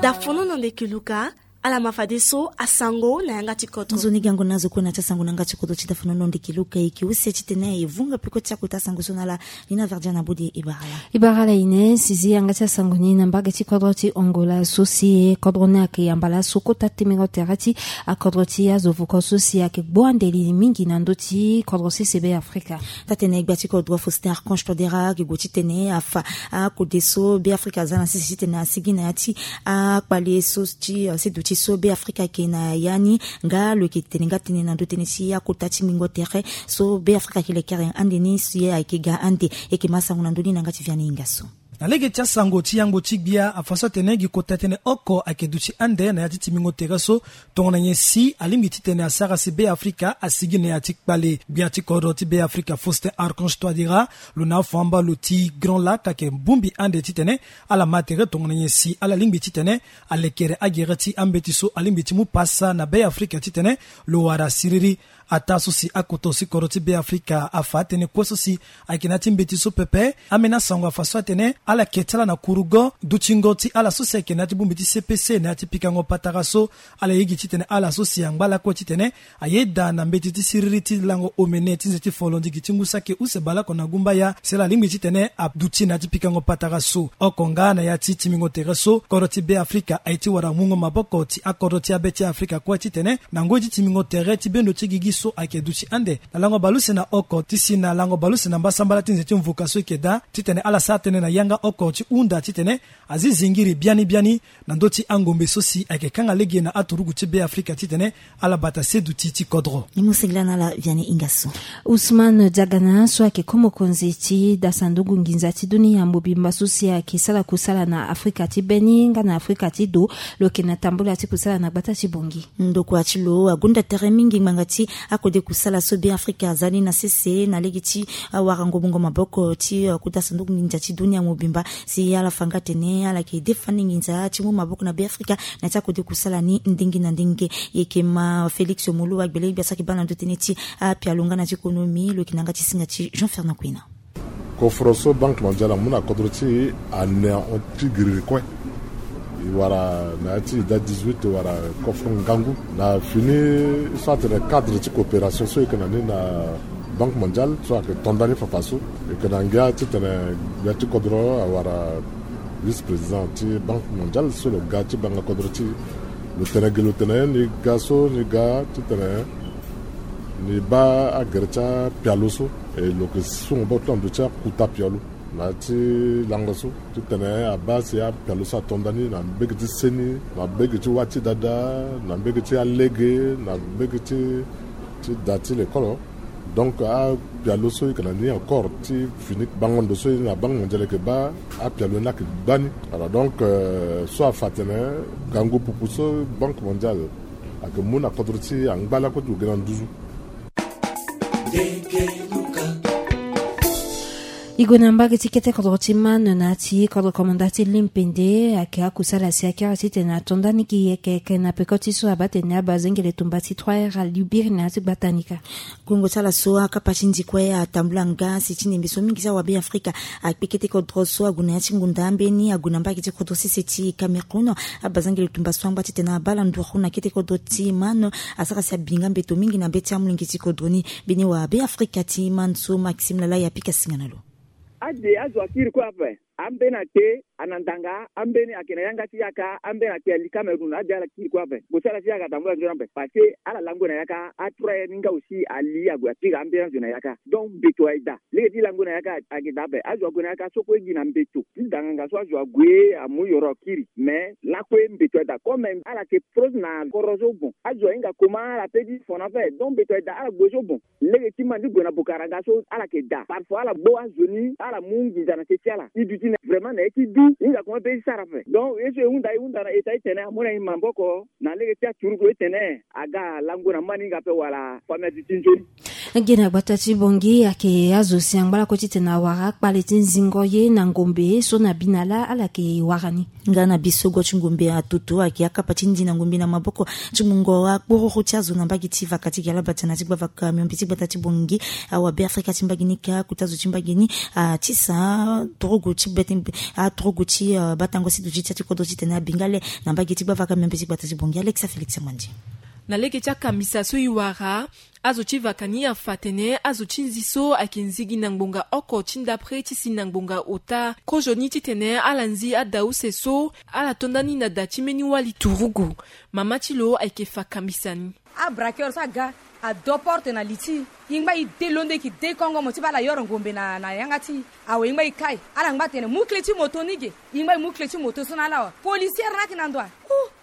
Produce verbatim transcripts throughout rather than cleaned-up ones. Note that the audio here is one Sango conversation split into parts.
Dafonono ndeke luka. Ala ma fadeso asango na yanga ti kodro. Nzoni gango na azo kue na ti asango na yanga ti kodro ti dafonono ndeke luka. Eke use titene e vunga peko ti akota asango so na ala. Nina verdia na bodi e bara ala. E bara ala ine si zi yanga ti asango ni na mbage ti kodro ti Angola so si e kodro ni ayeke yamba laso kota temengo tere ti akodro ti azo voko so si ayeke gbu ande li mingi na ndö ti kodro sese be Afrika. Taa-tene gbia ti kodro Faustin Archange Touadéra ayeke gue titene afa akode so be Afrika aza na sese titene asigi na ya ti akpale so ti seduti so be Afrika ayeke na ya ni. Nga lo yeke tene nga tënë na ndö tënë ti akota ti mingo tere so be Afrika ayeke lekere ande ni si ayeke ga ande. Eke ma asango na ndö ni na yanga ti Vianney Ingasso. Na lege ti asango ti yango ti gbia afa so atene gi kota tënë oko ayeke duti ande na ya ti timbingo tere so. Tongana nyen si alingbi titene asara si be Afrika asigi na ya ti kpale. Gbia ti kodro ti be Afrika Faustin Archange Touadéra, lo na afuamba lo ti Grand Lac ayeke bongbi ande titene ala ma tere tongana nyen si ala lingbi titene alekere agere ti ambeti so alingbi ti mu pasa na be Afrika titene lo wara siriri. Ataa so si akota si kodro ti be Afrika afa atënë kue so si ayeke na ya ti mbeti so pepe. Ambeni asango afa so atene ala yeke ti ala na kurugo dutingo ti ala so si ayeke na ya ti bongbi ti C P C na ya ti pikango patara so. Ala ye gi titene ala so si angba lakue titene ayeda na mbeti ti siriri ti lango omene ti nze ti folondigi ti ngu saki use baleoko na gumbaya si ala lingbi titene aduti na ya ti pikango patara so. Oko nga na ya ti timbingo tere so kodro ti be Afrika aye ti wara mungo maboko ti akodro ti abe ti Afrika kue titene na ngoi ti timbingo tere ti bendo ti gigi so ayeke duti ande na lango baleuse na oko ti si na lango baleuse na mbasambala ti nze ti mvuka so eke daa titene ala sara tënë na yanga oko ti hunda titene azi zingiri biani biani na ndö ti angombe so si ayeke kanga lege na aturugu ti be Afrika titene ala bata seduti ti kodro. Ni mo singila na ala Vianney Ingasso. Ousmane Diagana so ayeke ko mokonzi ti dasanduku nginza ti dunia mobimba so si ayeke sara kusala na Afrika ti be ni nga na Afrika ti do, lo yeke na tambula ti kusala na gbata ti Bangui. Ndokua ti lo agonda tere mingi ngbanga ti akode kusala so be Afrika aza ni na sese na lege ti awarango mungo maboko ti akota sanduku nginza ti dunia mobimba. Si ala fa nga tene ala yeke defa ni nginza ti mu maboko na be Afrika na ti akode kusala ni ndenge na ndenge. Yeke ma Félix Moloua gbele gbia so ayeke baa na ndö tënë ti apialo nga na ti konomi lo yeke na yanga ti singa ti Jean Fernand Kwena. Kofro so Banque Mondiale amu na kodro ti e ane ahon ti giriri kue. E wara na ya ti ida dix-huit wala kofro ngangu na fini so atene cadre ti coopération so e yeke na ni na Banque Mondiale so ayeke to nda ni fafa so. E yeke na ngia titene gbia ti kodro awara vice-président ti Banque Mondiale so lo ga ti banga kodro ti e. Lo tene gi lo tene ni ga so ni ga titene ni baa agere ti apialo so. E lo yeke sungo baa ti lo na ndö ti akuta pialo na ya ti lango so titene abaa si apialo so ato nda ni na mbege ti seni, na mbege ti wâ ti dada, na mbege ti alege, na mbege ti ti da ti lekolo. Donc apialo so e yeke na ni encore ti fini bango ndo so e na Banque Mondiale e yeke baa apialo ni ayeke gbani. Voilà, donc so afa atene gango pupu so Banque Mondiale ayeke mu na kodro ti e angba lakue ti lo gi na nduzu. E gue na mbage ti kete kodro ti Man na ya ti kodro komanda ti Limpende ayeke akusala si akiri titene ato nda ni gi yeke yeke na peko ti so abaa tene abazengele tumba ti trois R alibiri na ya ti gbata ni ka. Gongo ti ala so akapa ti ndi kue atambula nga si ti ndembe so mingi ti awabe Afrika akpe kete kodro so ague na ya ti ngunda ambeni ague na mbage ti kodro sese ti Cameroun. Abazengele tumba so angba titene abaa ala nduru na kete kodro ti Man asara si abinga mbeto mingi na be ti amolenge ti kodro ni. Mbeni wabe Afrika ti Man so Maxime Lalai apika singa na lo. Ade azo akiri kue ape. Ambeni akpe ana ndanga, ambeni ayeke na yanga ti yaka, ambeni ayeke ali Cameroun, ade ala kiri kue ape. Bosala ti yaka atambula nzoni ape parce que ala lango na yaka, a trois ni nga aussi ali ague akiri ambeni azo na yaka. Donc mbeto aye daa. Lege ti lango na yaka ayeke daa ape. Azo ague na yaka so kue gi na mbeto ti danganga so azo ague amu yoro akiri. Mais lakue mbeto aye daa comme ala yeke prose na koro so bon. Azo ahinga comment ala pe ti fo na ape. Donc mbeto aye daa ala gbo so bon. Lege ti Man ti gue na bokaranga so ala yeke daa. Parfois ala gbo azo ni ala mu nginza na se ti ala. E duti Vraiment na ye ti du hinga koma be ti sara ape. Donc ye so e hunda e hunda na eta ti tene amu na e maboko na lege ti aturugu ti tene aga lango na mani hinga ape wala famille ti ti nzoni. Gena gbata ti bongi ayeke azo si angba lakue ti tene awara akpale ti nzingo ye na ngombe so na bi na laa ala yeke wara ni. Nga na bi so gua ti ngombe atoto ayeke akapa ti ndi na ngombe na maboko ti mungo akpororo ti azo na mbage ti vaka ti gi alabata na ti gbavaka miombe ti gbata ti bongi. Awabe afrika ti mbage ni ka kota azo ti mbage ni atisa torogo ti bete aturugu ti batango si duti ti ati kodro ti tene abinga le na mbage ti gbavaka miombe ti gbata ti bongi alexa félix amandi. Na lege ti akambisa so e wara azo ti vaka ni afa atene azo ti nzi so ayeke nzigi na ngbonga oko ti ndapre ti si na ngbonga ota kozoni titene ala nzi ada use so ala to ndani na da ti mbeni wali turugu. Mama ti lo ayeke fa kambisa ni. Abraqueur so aga ado porte na li ti e ngba e de londo e yeke de kongo mo ti baa ala yoro ngombe na na yanga ti e. Awe e ngba e kai ala ngba tene mu kle ti moto ni ge. E ngba e mu kle ti moto so na ala wa policière na ayeke na ndo wa.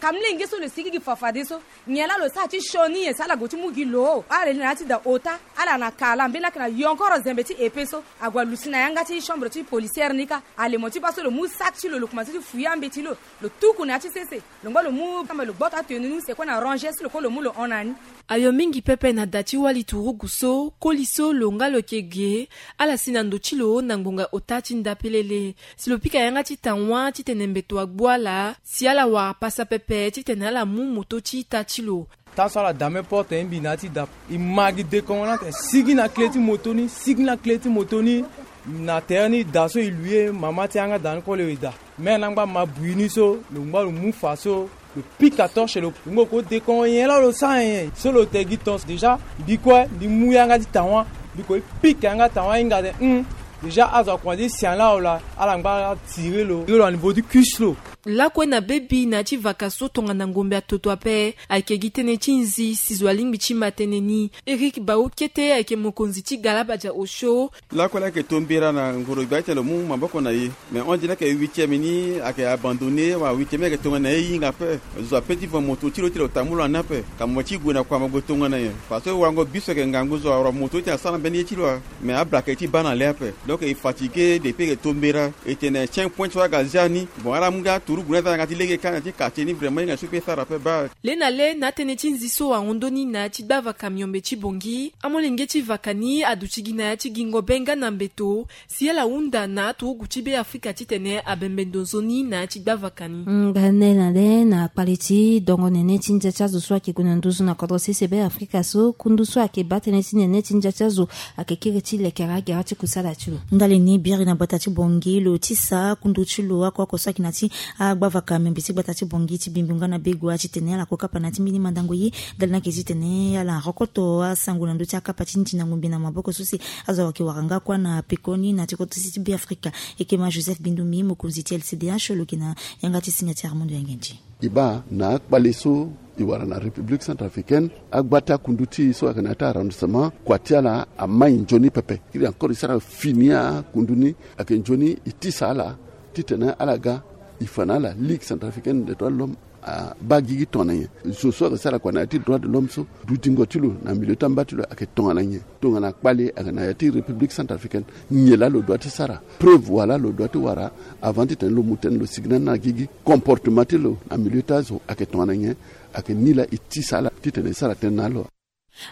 Kamlenge so lo sigi gi fa fade so nyen laa lo sara ti sioni nyen si ala gue ti mu gi lo? Ala li na ya ti da ota ala na kala mbeni laa ayeke na yonkoro zembe ti epe so. Ague alusi na yanga ti chambre ti policière ni kâ. Ale mo ti baa so lo mu saki ti lo lo komanse ti fuye ambeti lo. Lo tuku na ya ti sese lo ngba lo mu kamba lo gboto atenu ni use kue na ranger si lo kue lo mu lo hon na ni. Ayo mingi pepe na da ti wali turugu so koli so lo nga lo yeke ge ala si na ndo ti lo na ngbonga ota ti nda pelele. Si lo pika yanga ti tawa titene mbeto agbu ala si ala wara pasa pepe titene ala mu moto ti ita ti lo. Taa so ala dame porte e mbi na ya ti da e ma gi dekongo na tene sigi na kle ti moto ni sigi na kle ti moto ni. Na tere ni da so e lui e mama ti yanga da ni kue lo e da. Mene angba ma bui ni so lo ngba lo mu fa so lo pika torche lo ngba lo ko dekongo nyen laa lo sara nyen so lo te gi ton déjà. Mbi kue mbi mu yanga ti tawa mbi ko e pika yanga tawa hinga de hum. Déjà azo akoma ti si ala ola ala ngba ala tire lo tire lo na niveau ti cuisse lo. Lakue na bebi na ya ti vaka so tongana ngombe atoto ape ayeke gi tënë ti nzi si zo alingbi ti ma tënë ni. Eric baokete ayeke mokonzi ti galabadia osio. Lakue laa ayeke tombera na ngoro gbia ti tene lo mu maboko na e. Mais on dirait que huitième ni ayeke abandonné wala huitième ni ayeke tongana na e hinga ape. Zo ape ti fa moto ti lo ti lo tambula ni ape ka mo ti gue na kua mo gue tongana nyen? Parce que wango biso ayeke ngangu zo awara moto ti tene asara mbeni ye ti lo. Mais ablaka e ti baa na le ape. Donc e fatigué depuis ayeke tombera. E tene tien point so aga zia ni. Bon ala mu nga turugu ni aza na yanga ti lege kâ na ti quartier ni vraiment hinga so pe sara ape baa. Le na le na atënë ti nzi so ahon ndoni na ya ti gbavaka miombe ti bongi amolenge ti vaka ni aduti gi na ya ti gingo be nga na mbeto si ala hunda na aturugu ti be afrika titene abembe ndo nzoni na ya ti gbavaka ni. Nga nde na le na kpale ti dongo nene ti ndia ti azo so ayeke gue na nduzu na kodro sese be afrika so kundu so ayeke baa tënë ti nene ti ndia ti azo ayeke kiri ti lekere agere ti kusala ti lo. Ndali ni biri na gbata ti bongi lo tisa kundu ti lo oko oko so ayeke na ti agbavaka miombe ti gbata ti bongi ti bimbi nga na begua titene ala ko kapa na ti mbeni mandango ye. Ndali ni ayeke titene ala rokoto asango na ndö ti akapa ti ndi na ngombe na maboko so si azo ayeke wara nga kuâ na pekoni na ti kodro sese ti be afrika. Eke ma joseph bindumi mokonzi ti lcdh lo yeke na yanga ti singa ti armando yangendi. E baa na akpale so e wara na république centrafricaine agba ti akundu ti e so ayeke na ya ti arrondissement kua ti ala amai nzoni pepe. Kiri encore e sara fini akundu ni ayeke nzoni e tisa ala titene ala ga e fa na ala ligue centrafricaine des droits de l'homme. Abaa gigi tongana nyen? Zo so ayeke sara kua na ya ti droit de l'homme so dudingo ti lo na milieu ti amba ti lo ayeke tongana nyen? Tongana kpale ayeke na ya ti république centrafricaine nyen laa lo dua ti sara? Preuve wala lo dua ti wara avant titene lo mu tënë lo sigi na ni na gigi? Comportement ti lo na milieu ti azo ayeke tongana nyen? Ayeke ni laa e tisa ala titene e sara tënë na lo.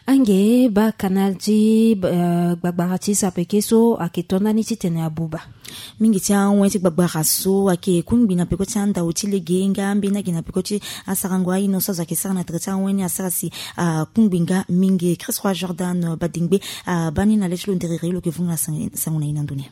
Ange baa kanal ti gbagbara ti sapeke so ayeke to ndani titene abuba. Mingi ti awen ti gbagbara so ayeke kungbi na peko ti andau ti lege nga ambeni ayeke na peko ti asarango aino so azo ayeke sara na tere ti awen ni asara si akungbi nga mingi chris roi jordan badengbe. Abaa ni na le ti lo nderere lo yeke vunga na sango na ye na ndo ni.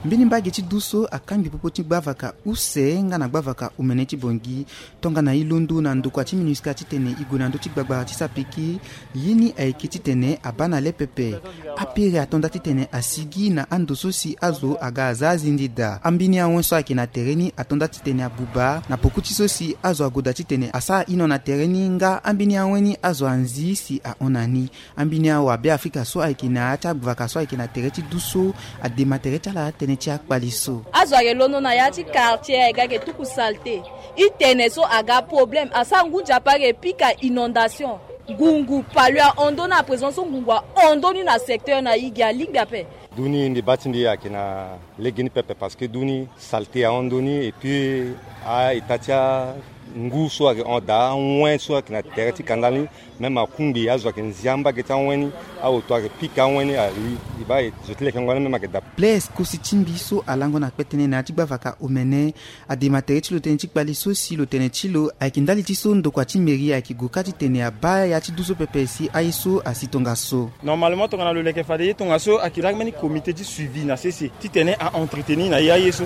Mbeni mbage ti du so akangbi popo ti gbavaka use nga na gbavaka omene ti bongi. Tongana e londo na ndokua ti minusca titene e gue na ndö ti gbagbara ti sapeke. Ye ni ayeke titene abaa na le pepe. Apere ato nda titene asigi na ando so si azo aga aza azindi daa. Ambeni awen so ayeke na tere ni ato nda titene abuba na poko ti so si azo agoda titene asara ino na tere ni nga ambeni awen ni azo anzi si ahon na ni. Ambeni awabe afrika so ayeke na ya ti agbavaka so ayeke na tere ti du so adema tere ti ala tënë ti akpali so. Azo ayeke londo na ya ti quartier ayeke ayeke tuku salte. E tene so aga problème asara ngu nzapa ayeke pika inondation. Ngungu palu ahon ndoni na présent so ngungu ahon ndoni na secteur na e gi alingbi ape. Duni mbi baa ti mbi ayeke na lege ni pepe parce que duni saleté ahon ndoni et puis a-eta ti angu so ayeke hon daa, awen so ayeke na tere ti kanda ni. Même akungbi azo ayeke nzia mbage ti awen ni. Aoto ayeke pika awen ni. E baa zo ti lekengo ni même ayeke daa. Blaise kosi ti mbi so alango na kpetene na ya ti gbavaka omene. Adema tere ti lo tënë ti kpali so si lo tene ti lo ayeke ndali ti so ndokua ti mairie ayeke gue kâ titene abaa ya ti du so pepe si aye so asi tongaso. Normalement tongana lo leke fade ye tongaso ayeke laa mbeni comité ti suivi na sese titene a-entretenir na ye aye so.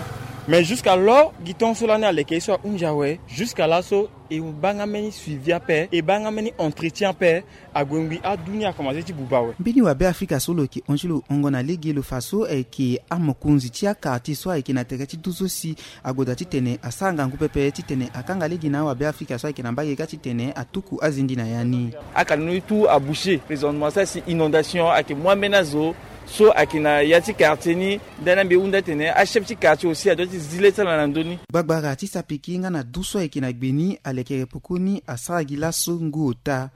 Mais jusqu'à l'heure gi temps so lani aleke ye so ahunzi awe, jusqu'à laso e baa nga mbeni suivi ape, e baa nga mbeni entretien ape. Ague ngbi adu ni akomanse ti buba awe. Mbeni wabe afrika so lo yeke hon ti lo hongo na lege lo fa so ayeke amokonzi ti akartier so ayeke na tere ti du so si ague daa titene asara ngangu pepe titene akanga lege na awabe afrika so ayeke na mbage kâ titene atuku azindi na ya ni. Akana ni tout aboucher présentement, ça c'est inondation ayeke mu ambeni azo so ayeke na ya ti quartier ni. Ndani ambi e hunda tene achef ti quartier aussi adoit ti zi le ti ala na ndö ni. Gbagbara ti sapiki nga na du so ayeke na gbe ni alekere poko ni asara gi laso ngu ota.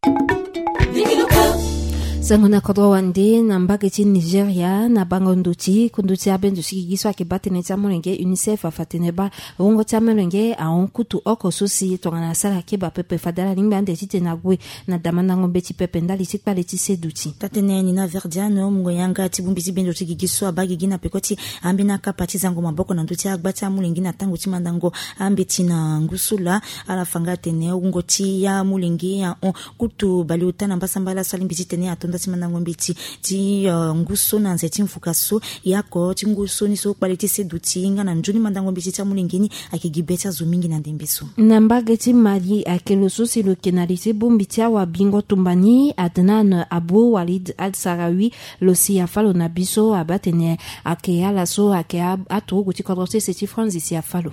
Sango na kodro wande na mbage ti Nigeria na bango ndoti kundu ti abendo ti gigi so ayeke baa tënë ti amolenge UNICEF afa tene baa wungo ti amolenge ahon kutu oko so si tongana asara keba pepe fade ala lingbi ande titene ague na damandango mbeti pepe ndali ti kpale ti se duti. Tatene ni na Verdiano mungo yanga ti bongbi ti bendo ti gigi so abaa gigi na peko ti ambeni akapa ti zango maboko na ndö ti agba ti amolenge na tango ti mandango ambeti na ngu so laa. Ala fa nga atene wungo ti amolenge ahon kutu baleota na mbasambala so alingbi titene ato nda ti mandango mbeti ti ngu so na nze ti mvuka so. Yako ti ngu so ni so kpale ti se duti nga na nzoni mandango mbeti ti amolenge ni ayeke gi be ti azo mingi na ndembe so. Na mbage ti Mali ayeke lo so si lo yeke na li ti bongbi ti awabingo tumba ni Adnan Abou Walid Al Sarawi. Lo si afâ lo na bi so abaa tene ayeke ala so ayeke aturugu ti kodro sese ti France si afâ lo.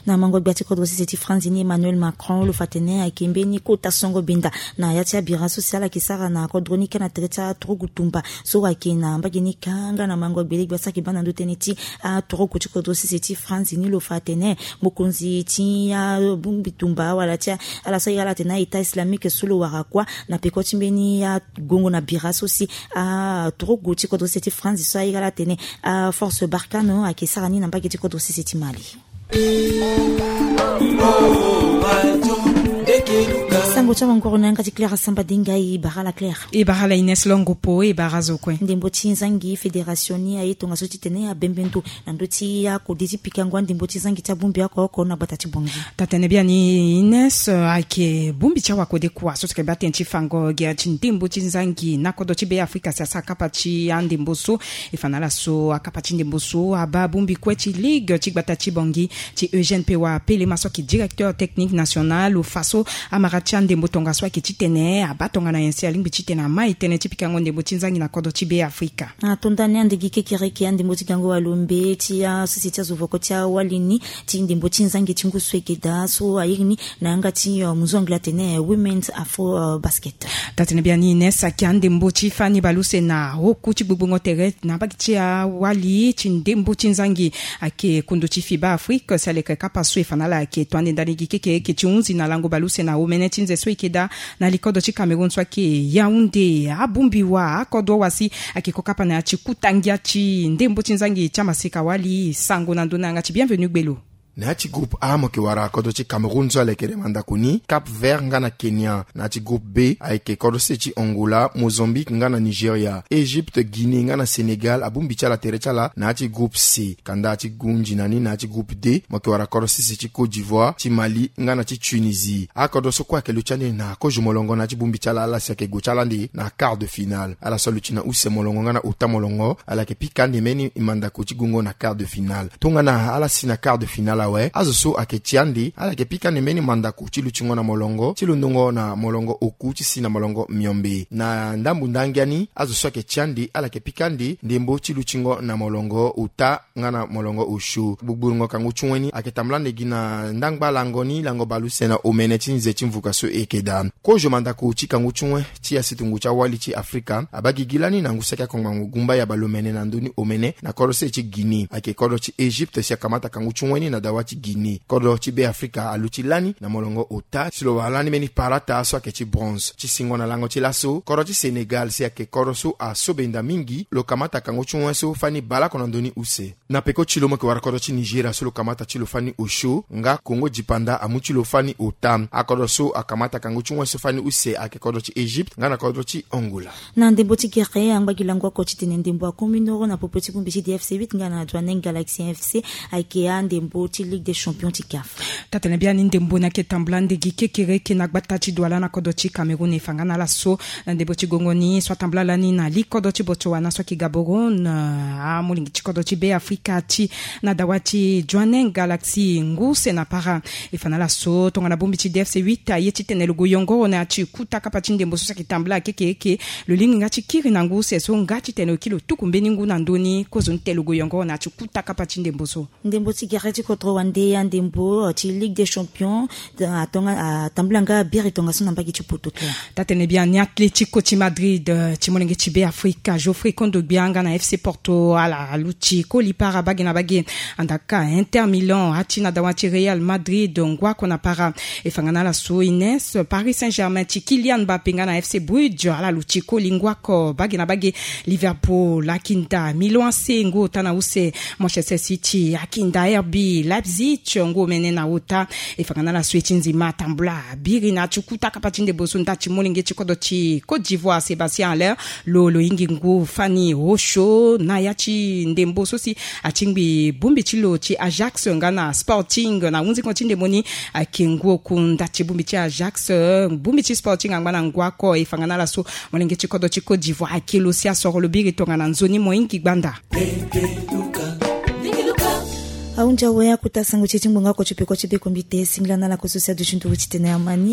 Na mango gbia ti kodro sese ti France ni Emmanuel Macron lo fa tene ayeke mbeni kota songo benda na ya ti abira so si ala yeke sara na kodro ni kâ na tere ti aturugu tumba so ayeke na mbage ni kâ nga na mango gbele gbia so ayeke baa na ndö tënë ti aturugu ti kodro sese ti France ni lo fa tene mokonzi ti abongbi tumba wala ti ala so aye ala tene a-État islamique so lo wara kuâ na peko ti mbeni agongo na bira so si aturugu ti kodro sese ti France so aye ala tene aforce Barkhane ayeke sara ni na mbage ti kodro sese ti Mali. Sango ti awanguru na yanga ti Claire Samba Dinga. E bara la Claire. E bara la Ines Longo Po. E bara zo kue. Ndembo ti zangi fédération ni aye tongaso titene abembe ndo na ndö ti akode ti pikango andembo ti zangi ti abongbi oko oko na gbata ti Bangui. Tatene biani Ines, ayeke bongbi ti awakode kua so si yeke baa tënë ti fango gi ya ti ndembo ti zangi na kodro ti Be Afrika si asara kapa ti andembo so. E fa na ala so akapa ti ndembo so abaa bongbi kue ti ligue ti gbata ti Bangui ti Eugène Pewa Pelema so ayeke directeur technique national. Lo fa so amara ti andembo tongaso ayeke titene abaa tongana nyen si alingbi titene amai tënë ti pikango ndembo ti zangi na kodro ti Be Afrika. Ato ndani ande gi kekereke andembo ti gango walombe ti asese ti azo voko ti awali ni ti ndembo ti zangi ti ngu so eke daa so airi ni na yanga ti munzu anglais atene Women's Afro Basket. Tatene biani Ines, ayeke andembo ti fani baleuse na oku ti gbogboingo tere na mbage ti awali ti ndembo ti zangi ayeke kundu ti FIBA Afrique si aleke kapa so e fa na ala ayeke to ande ndani gi kekereke ti hunzi na lango baleuse na omene ti nze so eke daa na likodo ti Cameroun so ayeke Yaoundé. Abongbi wa akodro wa si ayeke ko kapa na ya ti kuta ngia ti ndembo ti zangi ti amaseka wali. Sango na ndö na yanga ti Bienvenu Gbelo. Na ya ti groupe A mo yeke wara kodro ti Cameroun so alekere mandako ni, Cap Vert nga na Kenya. Na ya ti groupe B ayeke kodro sese ti Angola, Mozambique nga na Nigeria, Égypte, Guinée nga na Sénégal. Abongbi ti ala tere ti ala na ya ti groupe C. Kanda ti gunzi na ni na ya ti groupe D mo yeke wara kodro sese ti Côte d'Ivoire, ti Mali nga na ti Tunisie. Akodro so kue ayeke luti ande na kozo molongo na ya ti bongbi ti ala, ala si ayeke gue ti ala ande na quart de finale. Ala so aluti na use molongo nga na ota molongo, ala yeke pika ande mbeni mandako ti gongo na quart de finale. Tongana ala si na quart de finale awe, azo so ayeke ti ande ala yeke pika ande mbeni mandako ti lutingo na molongo ti londongo na molongo oku ti si na molongo miombe. Na ndambu ndangia ni, azo so ayeke ti ande ala yeke pika ande ndembo ti lutingo na molongo ota nga na molongo osio. Gbugburungo kangu ti wen ni ayeke tambula ande gi na ndangba lango ni, lango baleuse na omene ti nze ti mvuka so e yeke daa. Kozo mandako ti kangu ti wen ti asitungu ti awali ti Afrika abaa gigi lani na ngu saki akongbango gumba ya baleomene na ndö ni omene na kodro sese ti Guinée. Ayeke kodro ti Égypte si akamata kangu ti wen ni na awa ti Guinée. Kodro ti Be Afrika aluti lani na molongo ota si lo wara lani mbeni palata so ayeke ti bronze. Ti singo na lango ti laso, kodro ti Sénégal si ayeke kodro so asobenda mingi, lo kamata kango ti wen so fani baleoko na ndö ni use. Na peko ti lo mo yeke wara kodro ti Nigeria so lo kamata ti lo fani osio, nga Congo Dipanda amu ti lo fani ota. Akodro so akamata kango ti wen so fani use ayeke kodro ti Égypte nga na kodro ti Angola. Na ndembo ti gere, angba gi lango oko ti tene ndembo akomi noro na popo ti bongbi ti D F C huit nga na Jwaneng Galaxy F C ayeke andembo ti Ligue des Champions ti CAF. Taa-tene biani ndembo ni ayeke tambula ndege kekereke na gbata ti Douala na kodro ti Cameroun. E fa nga na laso, na ndembo ti gongo ni so atambula lani na li kodro ti Botswana so ayeke Gaborone, amolenge ti kodro ti Be Afrika ti na dawa ti Jwaneng Galaxy ngu use na para. E fa na laso tongana bongbi ti D F C huit aye ti tene lo gue yongoro na ya ti kuta kapa ti ndembo so si ayeke tambula kekereke. Lo lingbi nga ti kiri na ngu use so nga ti tene lo kiri lo tuku mbeni ngu na ndö ni, kozoni tene lo gue yongoro na ya ti kuta kapa ti ndembo so. Ndembo ti gere ti kodro wande ya ndembo ti Ligue des Champions, atonga atambula nga biri tongaso na mbage ti poto. Taa-tene biani Atlético ti Madrid, eh, ti molenge ti Be Afrika, Geoffrey Kondogbia nga na F C Porto ala aluti koli para bage na bage. Andaka Inter Milan ati na dawa ti Real Madrid ngu oko na para. E fa nga na laso Nice, Paris Saint-Germain ti Kylian Mbappé nga na F C Bruges ala luti koli ngu oko bage na bage. Liverpool akinda Milan A C ngu ota na use. Manchester City akinda R B Leipzig ngu omene na ota. E fa nga na laso e ti nzima atambula biri na ya ti kuta kapa ti ndembo so nda ti molenge ti kodro ti Côte d'Ivoire Sébastien Haller lo lo hingi ngu fani osio na ya ti ndembo so si atingbi bongbi ti lo ti Ajax nga na Sporting na hunzingo ti ndembo ni. Ayeke ngu oku nda ti bongbi ti Ajax, bongbi ti Sporting angba na ngu oko. E fa nga na laso molenge ti kodro ti Côte d'Ivoire ayeke lo si asoro lo biri tongana nzoni mohingi gbanda. Ahunzi awe akuta sango ti e ti ngbonga oko ti peko ti bekombite singila na ala koso si aduti nduru ti tene amani.